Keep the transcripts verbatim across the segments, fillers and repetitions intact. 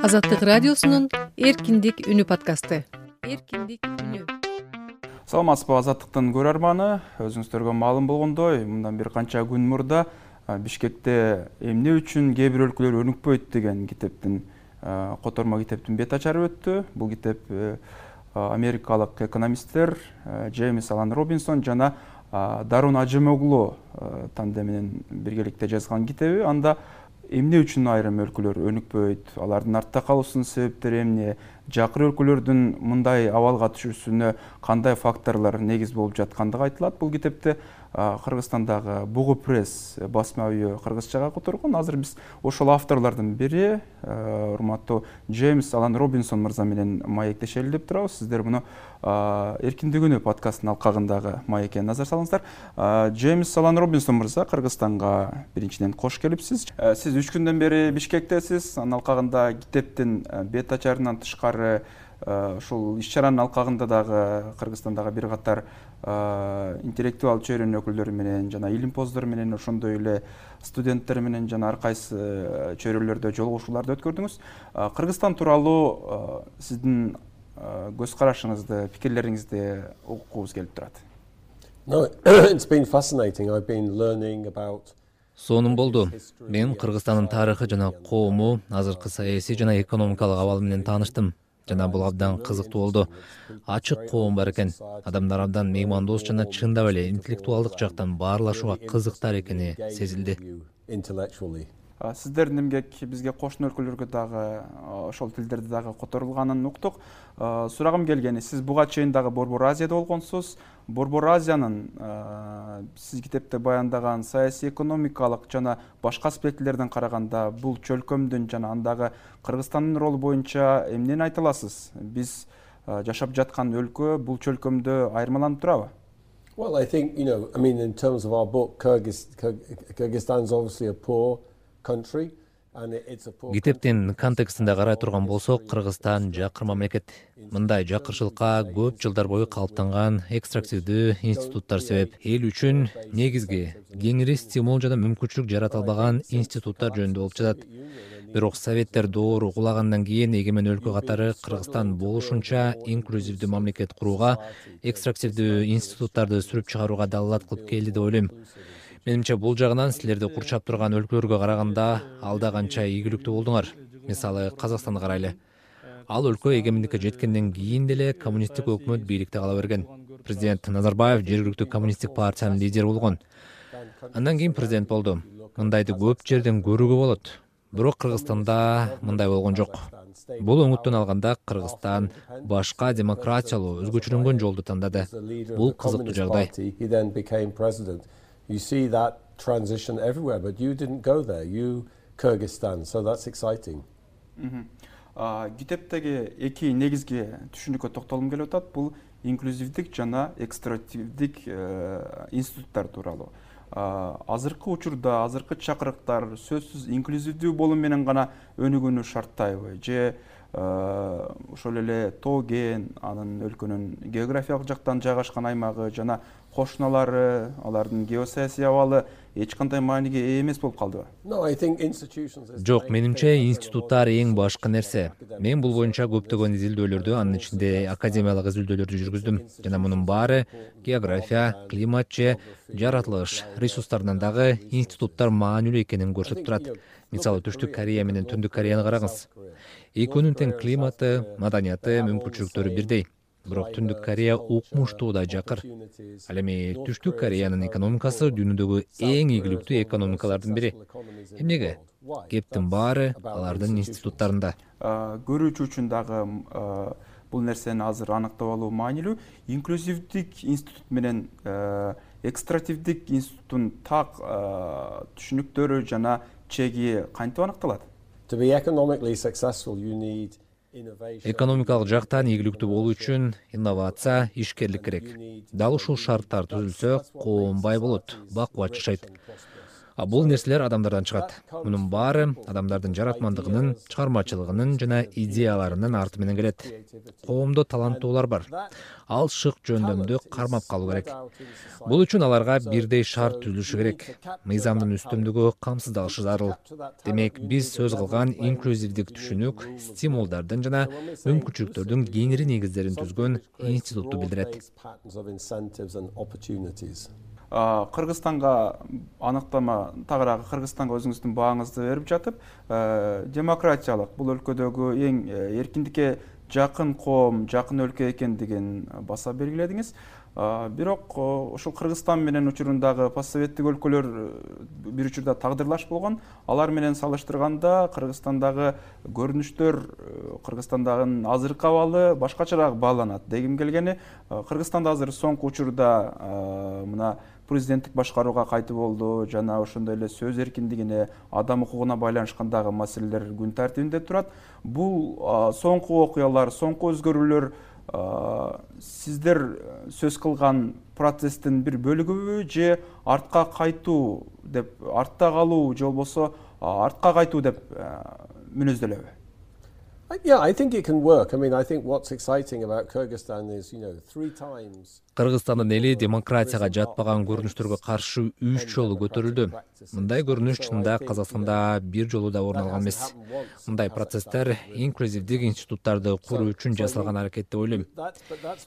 Азаттык радиосунун Эркиндик үнү подкасты. Эркиндик үнү. Саламатсызбы, Азаттыктын көрөрманы. Өзүңүздөргө маалым болгондой, мындан бир канча күн мурда Бишкекте эмне үчүн кээ бир өлкөлөр өнүкпөйт деген китептин котормо китептин бет ачары өттү. Бул китеп америкалык экономисттер Джеймс Алан Робинсон жана Дарун Ажемоглу тандеминен биргеликте жазган китеби. Анда эмне үчүн айрым өлкөлөр өнүкпөйт, алардын артта калуусунун себептери эмне, жакыр өлкөлөрдүн мындай абалга түшүүсүнө кандай факторлор негиз болуп жаткандыгы айтылат. Бул китепти Кыргызстандагы Бугу пресс басма үйү кыргызчага которгон. Азыр биз ошол авторлордун бири, урматтуу Джеймс Алан Робинсон мырза менен маектешели деп турабыз. Сиздер муну Эркиндик үнү подкастынын алкагындагы маекке назар салыңыздар. Джеймс Алан Робинсон мырза, Кыргызстанга биринчиден кош келипсиз. Сиз үч күндөн бери Бишкектесиз. Анын алкагында китептин бет ачарынан тышкары ушул иш-чаранын алкагында дагы Кыргызстандагы бир катар интеллектуал чөйрөнүн өкүлдөрү менен жана илимпоздор менен, ошондой эле студенттер менен жана ар кайсы чөйрөлөрдө жолугушууларды өткөрдүңүз. Кыргызстан тууралуу сиздин көз карашыңызды, пикирлериңизди угукубуз келип турат. No, it's been fascinating. I've been learning about Сонун болду. Мен Кыргызстандын тарыхы жана коому, азыркы саясий жана экономикалык абалы менен тааныштым. Жана бул абдан кызыктуу болду. Ачык коом бар экен. Адамдар абдан меймандос жана чындап эле интеллектуалдык жактан баарлашууга кызыктар экени сезилди. Сиздердин эмгек бизге кошуна өлкөлөргө дагы ошол тилдерде дагы которулганын уктук. Сурагым келгени, сиз буга чейин дагы Борбор Азияда болгонсуз. Борбор Азиянын сиз китепте баяндаган саясий, экономикалык жана башка аспектилерден караганда бул чөлкөмдүн жана андагы Кыргызстандын ролу боюнча эмнени айта аласыз? Биз жашап жаткан өлкө бул чөлкөмдө айырмаланып турабы? Well, I think, you know, I mean, in terms of our book, Kyrgyzstan is obviously a poor country. Китептин контекстинде карай турган болсок, Кыргызстан жакыр мамлекет. Мындай жакырчылыкка көп жылдар бою калыптанган экстрактивдүү институттар себеп. Эл үчүн негизги кеңири стимул жана мүмкүнчүлүк жарата албаган институттар жөнүндө болуп жатат. Бирок советтер доору кулагандан кийин эгемен өлкө катары Кыргызстан болушунча инклюзивдүү мамлекет курууга, экстрактивдүү институттарды сүрүп чыгарууга далалат кылып келди деп ойлойм. Менимче бул жагынан силерди курчап турган өлкөлөргө караганда алда канча ийгиликтүү болдуңар. Мисалы, Казакстанды карайлы. Ал өлкө эгемендикке жеткенден кийин деле коммунисттик өкмөт бийликте кала берген. Президент Назарбаев жергиликтүү коммунисттик партиянын лидери болгон. Андан кийин президент болду. Мындайды көп жерден көрүүгө болот. Бирок Кыргызстанда мындай болгон жок. Бул оңуттон алганда Кыргызстан башка демократиялуу, өзгөчөлөнгөн жолду тандады. Бул кызыктуу жагдай. You see that transition everywhere, but you didn't go there. You Kyrgyzstan, so that's exciting. Китептеги эки негизги түшүнүккө токтолгум келип атат. Бул инклюзивдик жана экстративдик институттар тууралуу. Азыркы учурда, азыркы чакырыктар сөзсүз инклюзивдүү болуу менен гана өнүгүүнү шарттайбы? Же ошол эле тоо кен, анын өлкөнүн географиялык жактан жайгашкан аймагы жана кошуналары, алардын геосаясий абалы эч кандай мааниге ээ эмес болуп калдыбы? Жок, менимче институттар эң башкы нерсе. Мен бул боюнча көптөгөн изилдөөлөрдү, анын ичинде академиялык изилдөөлөрдү жүргүздүм. Жана мунун баары география, климат же жаратылыш ресурстарынан дагы институттар маанилүү экенин көрсөтүп турат. Мисалы, Түштүк Корея менен Түндүк Кореяны караңыз. Экөөнүн тең климаты, маданияты, мүмкүнчүлүктөрү бирдей. Бирок Түндүк Корея укмуштуу да жакыр. Ал эми Түштүк Кореянын экономикасы дүйнөдөгү эң ийгиликтүү экономикалардын бири. Эмнеге? Кептин баары алардын институттарында. Көрүүчү үчүн дагы бул нерсени азыр аныктап алуу маанилүү. Инклюзивдик институт менен экстративдик институттун так түшүнүктөрү жана чеги кантип аныкталат? To be economically successful, you need Экономикалык жактан ийгиликтүү болуу үчүн инновация, ишкерлик керек. Дал ушул шарттар түзүлсө, коом бай болот, бакубат жашайт. Бул нерселер адамдардан чыгат. Мунун баары адамдардын жаратмандыгынын, чыгармачылыгынын жана идеяларынын арты менен келет. Коомдо таланттуулар бар. Ал шык жөндөмдү кармап калуу керек. Бул үчүн аларга бирдей шарт түзүлүшү керек. Мыйзамдын үстүмдүгү камсыздалышы зарыл. Демек, биз сөз кылган инклюзивдик түшүнүк стимулдардын жана мүмкүнчүлүктөрдүн кеңири негиздерин түзгөн институтту билдирет. Кыргызстанга аныктама тагыраагы Кыргызстанга өзүңүздүн бааңызды берип жатып, демократиялык бул өлкөдөгү эң эркиндикке жакын коом, жакын өлкө экендигин баса белгиледиңиз. Бирок ушул Кыргызстан менен учурундагы постсоветтик өлкөлөр бир учурда тагдырлаш болгон. Алар менен салыштырганда Кыргызстандагы көрүнүштөр, Кыргызстандагы азыркы абалы башкачараак бааланат. Дегим келгени, Кыргызстанда азыр соңку учурда мына президенттик башкарууга кайтып болду, жана ошондой эле сөз эркиндигине, адам укугуна байланышкандагы маселелер күн тартибинде турат. Бул соңку окуялар, соңку өзгөрүүлөр сиздер сөз кылган процесстин бир бөлүгүбү же артка кайтуу деп, артта калуу же болбосо артка кайтуу деп мүнөздөлөбү? Yeah, I think it can work. I mean, I think what's exciting about Kyrgyzstan is, you know, three times. Кыргызстандын эли демократияга жатпаган көрүнүштөргө каршы үч жолу көтөрүлдү. Мындай көрүнүш чынында Казакстанда бир жолу да орун алган эмес. Мындай процесстер инклюзивдик институттарды куруу үчүн жасалган аракет деп ойлойм.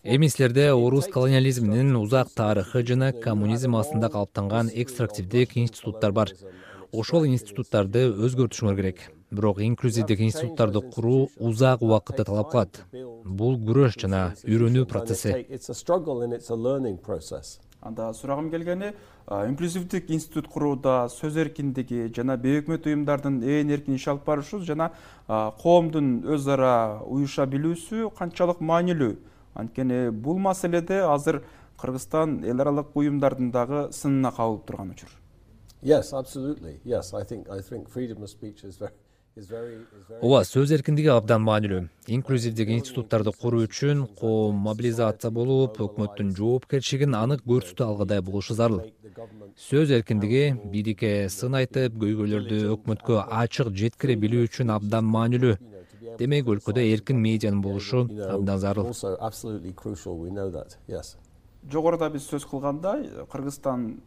Эми силерде орус колониализминин узак тарыхы жана коммунизм астында калыптанган экстрактивдик институттар бар. Ошол институттарды өзгөртүшүңөр керек. Бирок инклюзивдик институттарды куруу узак убакытты талап кылат. Бул күрөш жана үйрөнүү процесси. Анда сурагым келгени, инклюзивдик институт курууда сөз эркиндиги жана бейөкмөт уюмдардын ээн эркин иш алып барышы жана коомдун өз ара уюша билүүсү канчалык маанилүү? Анткени бул маселеде азыр Кыргызстан эл аралык уюмдардын дагы сынына кабылып турган учур. Yes, absolutely. Yes, I think I think freedom of speech is very Ооба, сөз эркиндиги абдан маанилүү. Инклюзивдик институттарды куруу үчүн коом мобилизация болуп, өкмөттүн жоопкерчилигин анык көрсөтө алгыдай болушу зарыл. Сөз эркиндиги бийликке сын айтып, көйгөйлөрдү өкмөткө ачык жеткире билүү үчүн абдан маанилүү. Демек, өлкөдө эркин медианын болушу абдан зарыл. Жогоруда биз сөз кылгандай, Кыргызстан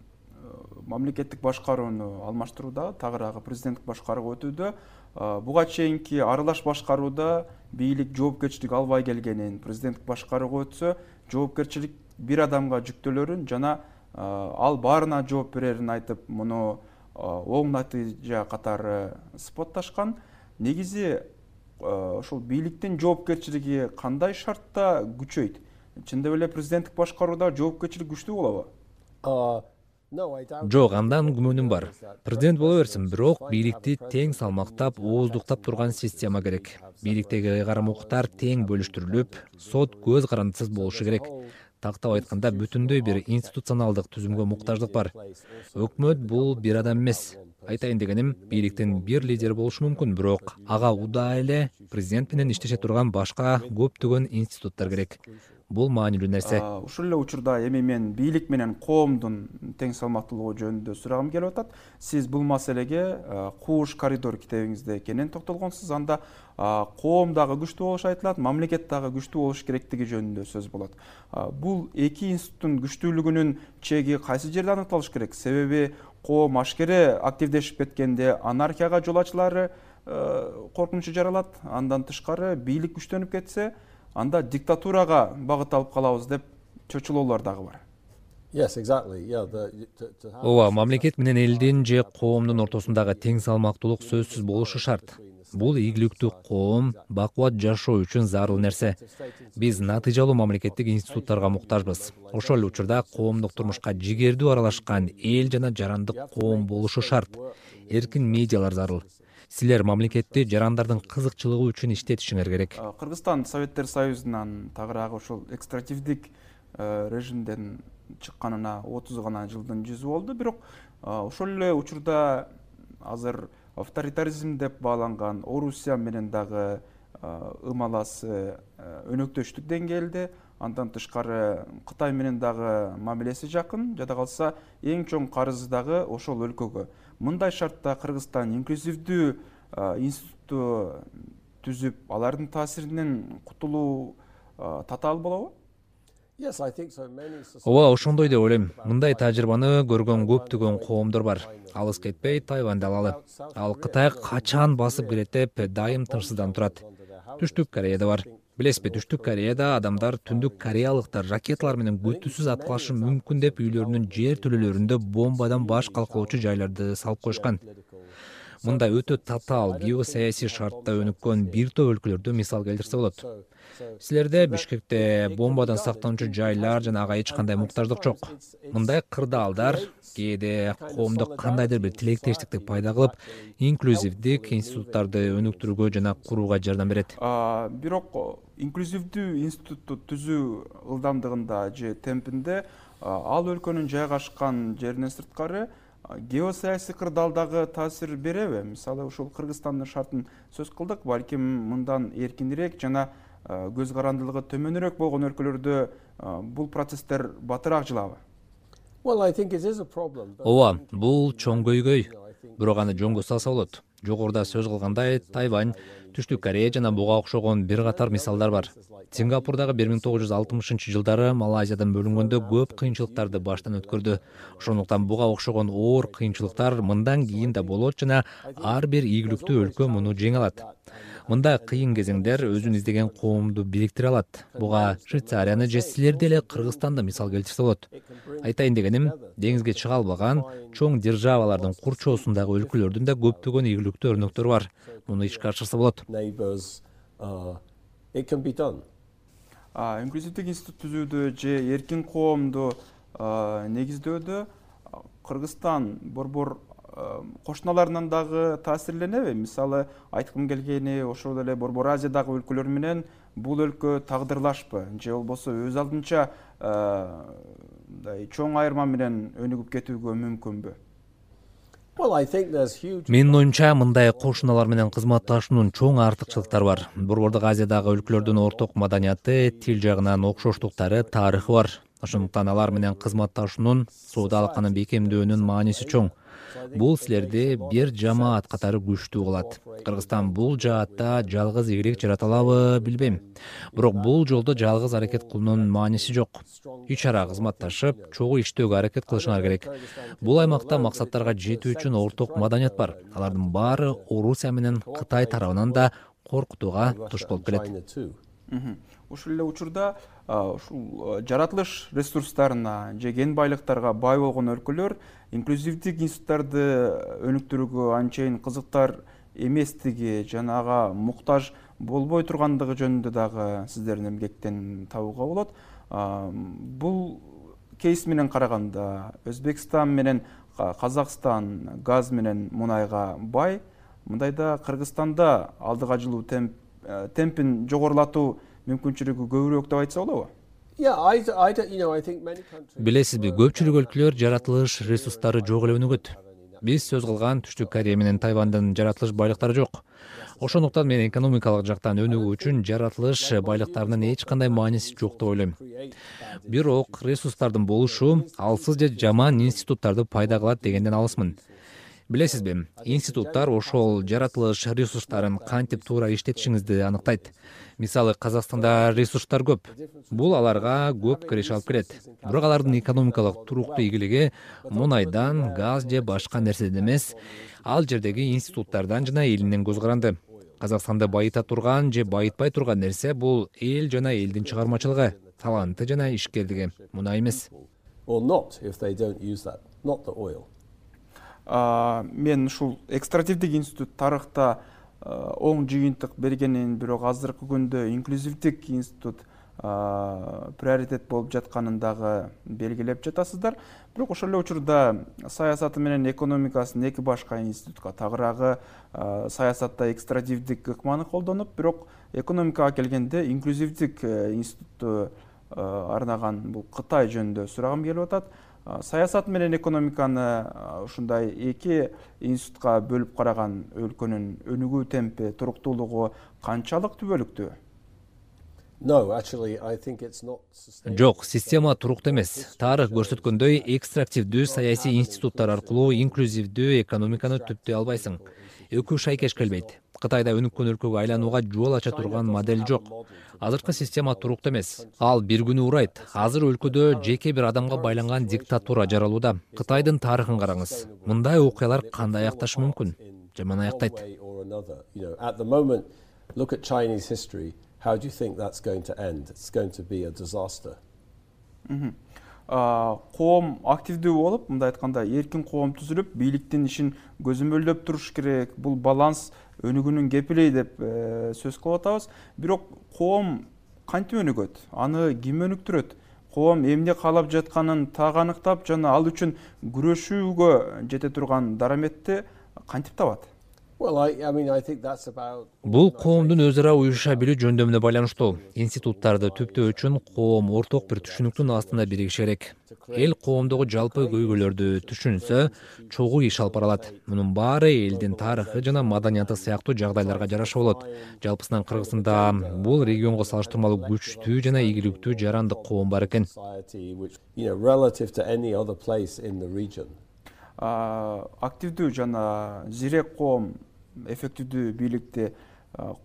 мамлекеттик башкарууну алмаштырууда, тагыраагы президенттик башкарууга өтүүдө, буга чейинки аралаш башкарууда бийлик жоопкерчилик албай келгенин, президенттик башкарууга өтсө, жоопкерчилик бир адамга жүктөлөрүн жана ал баарына жооп берерин айтып, муну оң натыйжа катары сыпатташкан. Негизи ошол бийликтин жоопкерчилиги кандай шартта күчөйт? Чындап эле президенттик башкарууда жоопкерчилик күчтүү болобу? Жок, андан күмөнүм бар. Президент боло берсин, бирок бийликти тең салмактап, ооздуктап турган система керек. Бийликтеги ыйгарым укуктар тең бөлүштүрүлүп, сот көз карандысыз болушу керек. Тактап айтканда, бүтүндөй бир институционалдык түзүмгө муктаждык бар. Өкмөт бул бир адам эмес. Айтайын дегеним, бийликтин бир лидери болушу мүмкүн, бирок ага удаа эле президент менен иштеше турган башка көптөгөн институттар керек. Бул маанилүү нерсе. Ушул эле учурда эми мен бийлик менен коомдун тең салмактуулугу жөнүндө сурагым келип атат. Сиз бул маселеге Кууш коридор китебиңизде кенен токтолгонсуз. Анда коом дагы күчтүү болушу айтылат, мамлекет дагы күчтүү болуш керектиги жөнүндө сөз болот. Бул эки институттун күчтүүлүгүнүн чеги кайсы жерде аныкталыш керек? Себеби коом ашкере активдешип кеткенде анархияга жол ачылары коркунучу жаралат. Андан тышкары бийлик күчтөнүп кетсе, анда диктатурага багыт алып калабыз деп чочулоолор дагы бар. Yes, exactly. Yeah, Ооба, мамлекет менен элдин же коомдун ортосундагы тең салмактуулук сөзсүз болушу шарт. Бул ийгиликтүү коом, бакубат жашоо үчүн зарыл нерсе. Биз натыйжалуу мамлекеттик институттарга муктажбыз. Ошол эле учурда коомдук турмушка жигердүү аралашкан эл жана жарандык коом болушу шарт. Эркин медиалар зарыл. Силер мамлекетти жарандардын кызыкчылыгы үчүн иштетишиңер керек. Кыргызстан Советтер Союзунан тагыраагы ошол экстративдик режимден чыкканына отуз гана жылдын жүзү болду. Бирок ошол эле учурда азыр авторитаризм деп бааланган Орусия менен дагы ымаласы өнөктөштүк деңгээлде, Андан тышкары Кытай менен дагы мамилеси жакын, жада калса эң чоң карызы дагы ошол өлкөгө. Мындай шартта Кыргызстан инклюзивдүү институтту түзүп, алардын таасиринен кутулуу татаал болобу? Ооба, ошондой деп ойлойм. Мындай тажрыйбаны көргөн көптөгөн коомдор бар. Алыс кетпей Тайваньды алалы. Ал Кытай качан басып кирет деп дайым тынчсызданып турат. Түштүк Кореяда бар. Билесизби, Түштүк Кореяда адамдар түндүк кореялыктар ракеталар менен күтүүсүз аткылашы мүмкүн деп үйлөрүнүн жер төлөлөрүндө бомбадан баш калкалоочу жайларды салып коюшкан. Мындай өтө татаал геосаясий шартта өнүккөн бир топ өлкөлөрдү мисал келтирсе болот. Силерде Бишкекте бомбадан сактануучу жайлар жана ага эч кандай муктаждык жок. Мындай кырдаалдар кээде коомдо кандайдыр бир тилектештикти пайда кылып, инклюзивдик институттарды өнүктүрүүгө жана курууга жардам берет. Бирок инклюзивдүү институтту түзүү ылдамдыгында же темпинде ал өлкөнүн жайгашкан жеринен сырткары геосаясий кырдаалдагы таасир береби? Мисалы, ушул Кыргызстандын шартын сөз кылдык, балким мындан эркинирээк жана көз карандылыгы төмөнүрөөк болгон өлкөлөрдө бул процесстер батыраак жылабы? Ооба, бул чоң көйгөй. Бирок аны жөнгө салса болот. Жогоруда сөз кылгандай, Тайвань, Түштүк Корея жана буга окшогон бир катар мисалдар бар. Сингапурдагы бир миң тогуз жүз алтымышынчы жылдары Малайзиядан бөлүнгөндө көп кыйынчылыктарды баштан өткөрдү. Ошондуктан буга окшогон оор кыйынчылыктар мындан кийин да болот жана ар бир ийгиликтүү өлкө муну жеңе алат. Мындай кыйын кезеңдер өзүн издеген коомду бириктире алат. Буга Швейцарияны же силерди эле Кыргызстанды мисал келтирсе болот. Айтайын дегеним, деңизге чыга албаган чоң державалардын курчоосундагы өлкөлөрдүн да көптөгөн ийгиликтүү өрнөктөрү бар. Муну ишке ашырса болот. Инклюзивдик институт түзүүдө же эркин коомду негиздөөдө Кыргызстан борбор кошуналарынан дагы таасирленеби? Мисалы, айткым келгени, ошол эле Борбор Азиядагы өлкөлөр менен бул өлкө тагдырлашпы же болбосо өз алдынча чоң айырма менен өнүгүп кетүүгө мүмкүнбү? Менин оюмча, мындай кошуналар менен кызматташуунун чоң артыкчылыктары бар. Борбордук Азиядагы өлкөлөрдүн орток маданияты, тил жагынан окшоштуктары, тарыхы бар. Ошондуктан алар менен кызматташуунун, соода алаканын бекемдөөнүн мааниси чоң. Бул силерди бир жамаат катары күчтүү кылат. Кыргызстан бул жаатта жалгыз игилик жарата алабы, билбейм. Бирок бул жолдо жалгыз аракет кылуунун мааниси жок. Үч ара кызматташып, чогуу иштөөгө аракет кылышыңар керек. Бул аймакта максаттарга жетүү үчүн орток маданият бар. Алардын баары Орусия менен Кытай тарабынан да коркутууга туш болуп келет. Ушул эле учурда ушул жаратылыш ресурстарына же кен байлыктарга бай болгон өлкөлөр инклюзивдик институттарды өнүктүрүүгө анчейин кызыктар эместиги жана ага муктаж болбой тургандыгы жөнүндө дагы сиздердин эмгектен табууга болот. Бул кейс менен караганда Өзбекстан менен Казакстан газ менен мунайга бай. Мындайда Кыргызстанда алдыга жылуу темпин жогорулатуу мүмкүнчүлүгү көбүрөөк деп айтса болобу? Билесизби, көпчүлүк өлкөлөр жаратылыш ресурстары жок эле өнүгөт. Биз сөз кылган Түштүк Корея менен Тайвандын жаратылыш байлыктары жок. Ошондуктан мен экономикалык жактан өнүгүү үчүн жаратылыш байлыктарынын эч кандай мааниси жок деп ойлойм. Бирок ресурстардын болушу алсыз же жаман институттарды пайда кылат дегенден алысмын. Билесизби, институттар ошол жаратылыш ресурстарын кантип туура иштетишиңизди аныктайт. Мисалы, Казакстанда ресурстар көп. Бул аларга көп киреш алып келет. Бирок алардын экономикалык туруктуу ийгилиги мунайдан, газ же башка нерседен эмес, ал жердеги институттардан жана элинен көз каранды. Казакстанды байыта турган же байытпай турган нерсе бул эл жана элдин чыгармачылыгы, таланты жана ишкердиги. Мунай эмес. Мен ушул экстративдик институт тарыхта оң жыйынтык бергенин, бирок азыркы күндө инклюзивдик институт приоритет болуп жатканын дагы белгилеп жатасыздар. Бирок ошол эле учурда саясаты менен экономикасын эки башка институтка тагыраагы, саясатта экстративдик ыкманы колдонуп, бирок экономикага келгенде инклюзивдик институтту арнаган бул Кытай жөнүндө сурагым келип атат. Саясат менен экономиканы ушундай эки институтка бөлүп караган өлкөнүн өнүгүү темпи, туруктуулугу канчалык түбөлүктүү? No, actually, I think it's not sustainable. Жок, система туруктуу эмес. Тарых көрсөткөндөй, экстрактивдүү саясий институттар аркылуу инклюзивдүү экономиканы түптөй албайсың. Экөө шайкеш келбейт. Кытайда өнүккөн өлкөгө айланууга жол ача турган модель жок. Азыркы система туруктуу эмес. Ал бир күнү урайт. Азыр өлкөдө жеке бир адамга байланган диктатура жаралууда. Кытайдын тарыхын караңыз. Мындай окуялар кандай аякташы мүмкүн? Жаман аяктайт. At the moment, look at Chinese history. How do you think that's going to end? It's going to be a disaster. Коом активдүү болуп, мындай айтканда, эркин коом түзүлүп, бийликтин ишин көзөмөлдөп туруш керек. Бул баланс өнүгүүнүн кепили деп сөз кылып атабыз. Бирок коом кантип өнүгөт? Аны ким өнүктүрөт? Коом эмне каалап жатканын так аныктап, жана ал үчүн күрөшүүгө жете турган дараметти кантип табат? Well, I, I mean, I think that's about. Бул коомдун өз ара уюша билүү жөндөмүнө байланыштуу. Институттарды түптөө үчүн коом орток бир түшүнүктүн астында биригиши керек. Эл коомдогу жалпы көйгөйлөрдү түшүнсө, чогуу иш алып бара алат. Мунун баары элдин тарыхы жана маданияты сыяктуу жагдайларга жараша болот. Жалпысынан Кыргызстанда бул регионго салыштырмалуу күчтүү жана ийгиликтүү жарандык коом бар экен. Активдүү жана зирек коом эффективдүү бийликти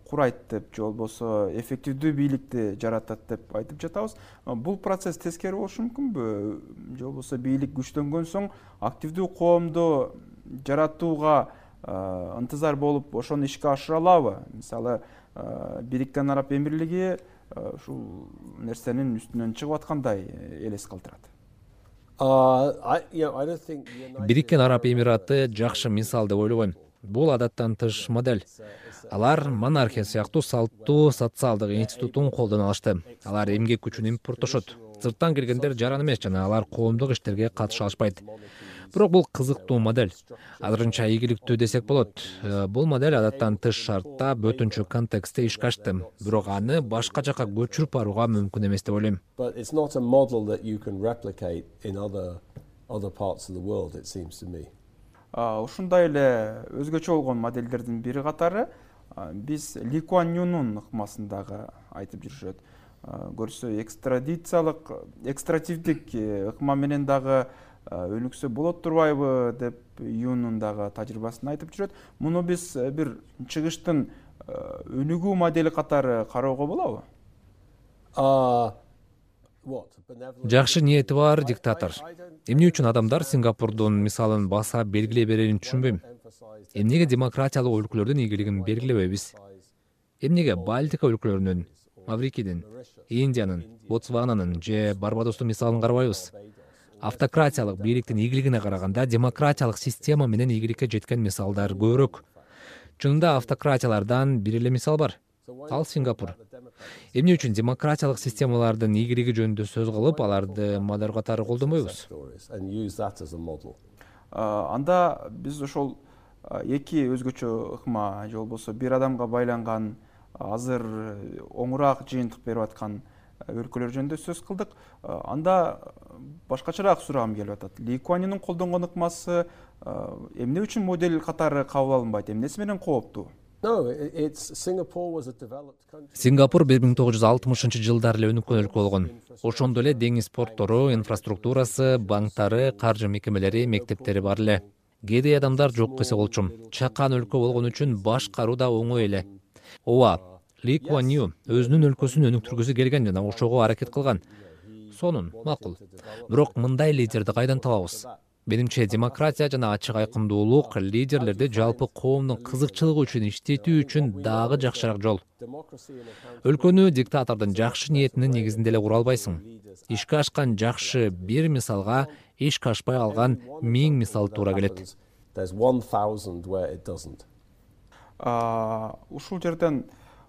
курайт деп, же болбосо эффективдүү бийликти жаратат деп айтып жатабыз. Бул процесс тескери болушу мүмкүнбү? Же болбосо бийлик күчтөнгөн соң активдүү коомду жаратууга ынтызар болуп, ошону ишке ашыра алабы? Мисалы, Бириккен Араб Эмирлиги ушул нерсенин үстүнөн чыгып аткандай элес калтырат. Бириккен Араб Эмираты жакшы мисал деп ойлобойм. Бул адаттан тыш модель. Алар монархия сыяктуу салттуу социалдык институттун колдоно алышты. Алар эмгек күчүн импорттошот. Сырттан келгендер жаран эмес жана алар коомдук иштерге катыша алышпайт. Бирок бул кызыктуу модель. Азырынча ийгиликтүү десек болот. Бул модель адаттан тыш шартта, бөтөнчө контекстте ишке ашты. Бирок аны башка жака көчүрүп барууга мүмкүн эмес деп ойлойм. But it's not a model that you can replicate in other other parts of the world, it seems to me. Ушундай эле өзгөчө болгон модельдердин бири катары биз Ли Куан Юнун ыкмасындагы айтып жүрүшөт. Көрсө экстрадициялык, экстративдик ыкма менен дагы өнүксө болот турбайбы деп Юнун дагы тажрыйбасын айтып жүрөт. Муну биз бир чыгыштын өнүгүү модели катары кароого болобу? Жакшы ниети бар диктатор. Эмне үчүн адамдар Сингапурдун мисалын баса белгилей берерин түшүнбөйм. Эмнеге демократиялык өлкөлөрдүн ийгилигин белгилебейбиз? Эмнеге Балтика өлкөлөрүнүн, Маврикийдин, Индиянын, Ботсвананын же Барбадостун мисалын карабайбыз? Автократиялык бийликтин ийгилигине караганда демократиялык система менен ийгиликке жеткен мисалдар көбүрөөк. Чынында автократиялардан бир эле мисал бар. Ал Сингапур. Эмне үчүн демократиялык системалардын ийгилиги жөнүндө сөз кылып, аларды модель катары колдонбойбуз? Анда биз ошол эки өзгөчө ыкма, же болбосо бир адамга байланган, азыр оңураак жыйынтык берип аткан өлкөлөр жөнүндө сөз кылдык. Анда башкачараак сурагым келип атат. Ли Куан Юнун колдонгон ыкмасы эмне үчүн модель катары кабыл алынбайт? Эмнеси менен кооптуу? Сингапур бир миң тогуз жүз алтымышынчы жылдары эле өнүккөн өлкө болгон. Ошондо эле деңиз порттору, инфраструктурасы, банктары, каржы мекемелери, мектептери бар эле. Кедей адамдар жок десе болчу. Чакан өлкө болгон үчүн башкаруу да оңой эле. Ооба, Ли Куан Ю өзүнүн өлкөсүн өнүктүргүсү келген жана ошого аракет кылган. Сонун, макул. Бирок мындай лидерди кайдан табабыз? Менимче, демократия жана ачык айкындуулук лидерлерди жалпы коомдун кызыкчылыгы үчүн иштетүү үчүн дагы жакшыраак жол. Өлкөнү диктатордун жакшы ниетинин негизинде эле кура албайсың. Ишке ашкан жакшы бир мисалга ишке ашпай алган миң мисал туура келет. Ушул жерден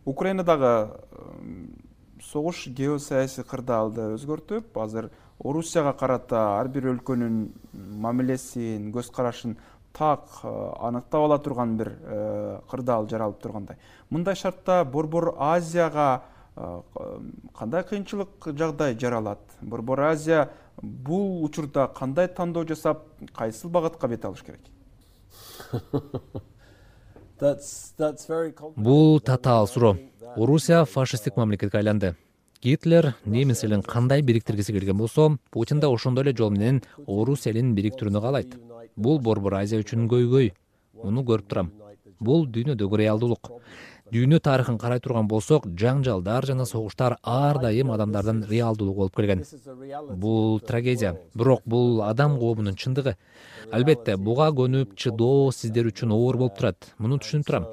Украинадагы согуш геосаясий кырдаалды өзгөртүп, азыр Орусияга карата ар бир өлкөнүн мамилесин, көз карашын так аныктап ала турган бир кырдаал жаралып тургандай. Мындай шартта Борбор Азияга кандай кыйынчылык жагдай жаралат? Борбор Азия бул учурда кандай тандоо жасап, кайсыл багытка бет алыш керек? Бул татаал суроо. Орусия фашисттик мамлекетке айланды. Гитлер немис элин кандай бириктиргиси келген болсо, Путин да ошондой эле жол менен орус элин бириктирүүнү каалайт. Бул Борбор Азия үчүн көйгөй. Муну көрүп турам. Бул дүйнөдөгү реалдуулук. Дүйнө тарыхын карай турган болсок, жаңжалдар жана согуштар ар дайым адамдардын реалдуулугу болуп келген. Бул трагедия, бирок бул адам коомунун чындыгы. Албетте, буга көнүп чыдоо сиздер үчүн оор болуп турат. Муну түшүнүп турам.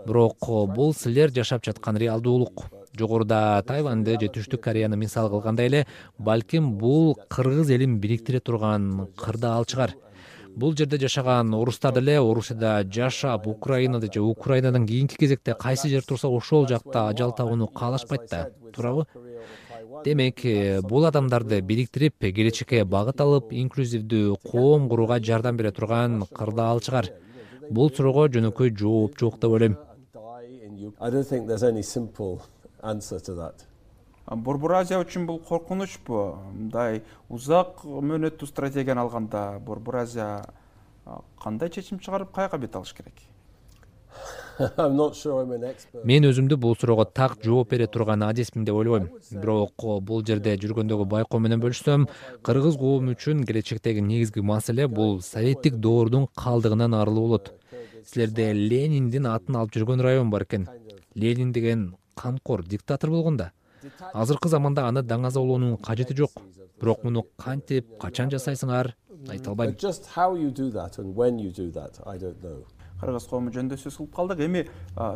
Бирок бул силер жашап жаткан реалдуулук. Жогоруда Тайваньды же Түштүк Кореяны мисал кылгандай эле, балким бул кыргыз элин бириктире турган кырдаал чыгар. Бул жерде жашаган орустар деле Орусияда жашап, Украинада же Украинадан кийинки кезекте кайсы жер турса ошол жакта ажал табууну каалашпайт да, туурабы? Демек, бул адамдарды бириктирип, келечекке багыт алып, инклюзивдүү коом курууга жардам бере турган кырдаал чыгар. Бул суроого жөнөкөй жооп жок деп ойлойм. I don't think there's any simple answer to that. Борбор Азия үчүн бул коркунучпу? Мындай узак мөөнөттүү стратегияны алганда Борбор Азия кандай чечим чыгарып, каяка бет алыш керек? I'm not sure I'm an expert. Мен өзүмдү бул суроого так жооп бере турган адисмин деп ойлобойм. Бирок бул жерде жүргөндөгү байкоо менен бөлүшсөм, кыргыз коому үчүн келечектеги негизги маселе бул советтик доордун калдыгынан арылуу болот. Силерде Лениндин атын алып жүргөн район бар экен. Ленин деген камкор диктатор болгон да. Азыркы заманда аны даңазалоонун кажети жок. Бирок муну кантип, качан жасайсыңар, айта албайм. But just how you do that and when you do that, I don't know. Кыргыз коому жөнүндө сөз кылып калдык. Эми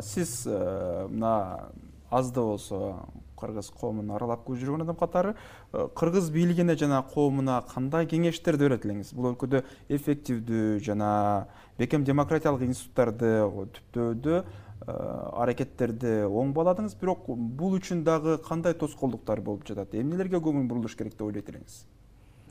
сиз мына аз да болсо кыргыз коомун аралап көрүп жүргөн адам катары кыргыз бийлигине жана коомуна кандай кеңештерди берет элеңиз? Бул өлкөдө эффективдүү жана бекем демократиялык институттарды түптөөдө аракеттерди оң бааладыңыз, бирок бул үчүн дагы кандай тоскоолдуктар болуп жатат? Эмнелерге көңүл бурулуш керек деп ойлойт элеңиз?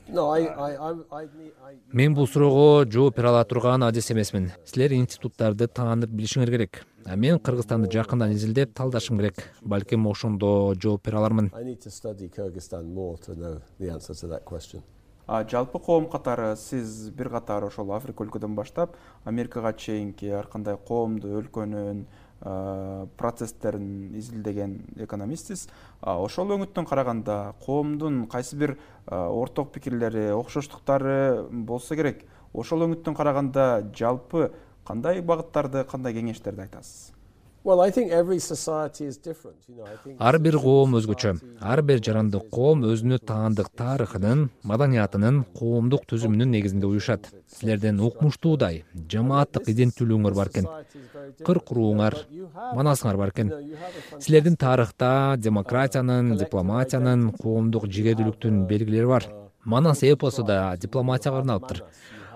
No, I, I, I, I, I... Мен бул суроого жооп бере ала турган адис эмесмин. Силер институттарды таанып билишиңер керек. А мен Кыргызстанды жакындан изилдеп талдашым керек. Балким ошондо жооп бере алармын. I need to study Kyrgyzstan more to know the answer to that question. Жалпы коом катары сиз бир катар ошол Африка өлкөдөн баштап Америкага чейинки ар кандай коомду, өлкөнүн процесстерин изилдеген экономистсиз. Ошол өңүттөн караганда коомдун кайсы бир орток пикирлери, окшоштуктары болсо керек. Ошол өңүттөн караганда жалпы кандай багыттарды, кандай кеңештерди айтасыз? Well, I think every society is different. You know, I think Ар бир коом өзгөчө. Ар бир жарандык коом өзүнө таандык тарыхынын, маданиятынын, коомдук түзүмүнүн негизинде уюшат. Силердин укмуштуудай, жамааттык иденттүүлүгүңөр бар экен. Кыр курууңар, манасыңар бар экен. Силердин тарыхта демократиянын, дипломатиянын, коомдук жигердүүлүктүн белгилери бар. Манас эпосу да дипломатияга арналыптыр.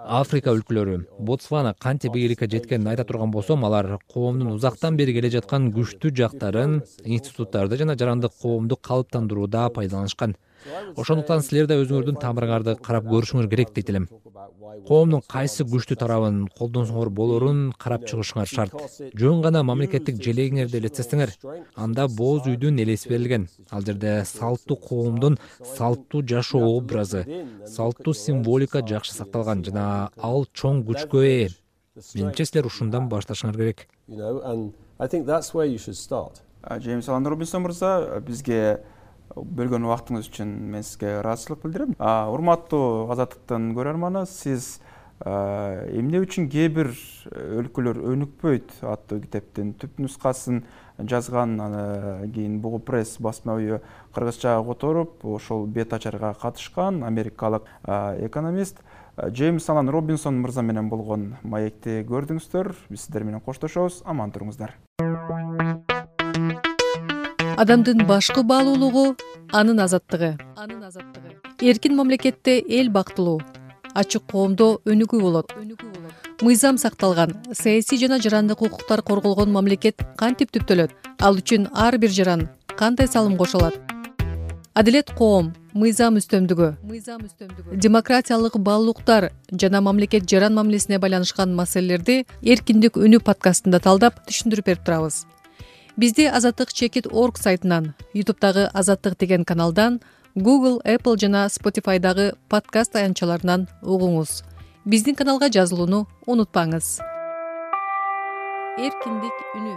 Африка өлкөлөрү, Ботсвана кантип ийгиликке жеткенин айта турган болсом, алар коомдун узактан бери келе жаткан күчтүү жактарын институттарды жана жарандык коомду калыптандырууда пайдаланышкан. Ошондуктан силер да өзүңөрдүн тамырыңарды карап көрүшүңөр керек дейт элем. Коомдун кайсы күчтүү тарабын колдонсоңор болорун карап чыгышыңар шарт. Жөн гана мамлекеттик желегиңерди элестетсеңер, анда боз үйдүн элеси берилген. Ал жерде салттуу коомдун салттуу жашоо образы, салттуу символика жакшы сакталган жана ал чоң күчкө ээ. Менимче силер ушундан башташыңар керек. you know, and I think that's where you should start. Джеймс Алан Робинсон мырза, бизге бөлгөн убактыңыз үчүн мен сизге ыраазычылык билдирем. Урматтуу Азаттыктын көрөрманы, сиз эмне үчүн кээ бир өлкөлөр өнүкпөйт аттуу китептин түп нускасын жазган, анан кийин Бугу пресс басма үйү кыргызчага которуп, ошол бет ачарга катышкан америкалык экономист Джеймс Алан Робинсон мырза менен болгон маекти көрдүңүздөр. Биз сиздер менен коштошобуз. Аман туруңуздар. Адамдын башкы баалуулугу анын азаттыгы. Анын азаттыгы. Эркин мамлекетте эл бактылуу, ачык коомдо өнүгүү болот. Мыйзам сакталган, саясий жана жарандык укуктар корголгон мамлекет кантип түптөлөт? Ал үчүн ар бир жаран кандай салым кошо алат? Адилет коом, мыйзам үстөмдүгү, мыйзам үстөмдүгү, демократиялык баалуулуктар жана мамлекет жаран мамилесине байланышкан маселелерди Эркиндик үнү подкастында талдап түшүндүрүп берип турабыз. Бизди Азаттык чекит точка орг сайтынан, YouTube'дагы Азаттык деген каналдан, Google, Apple жана Spotify'дагы подкаст аянтчаларынан угуңуз. Биздин каналга жазылууну унутпаңыз. Эркиндик үнү.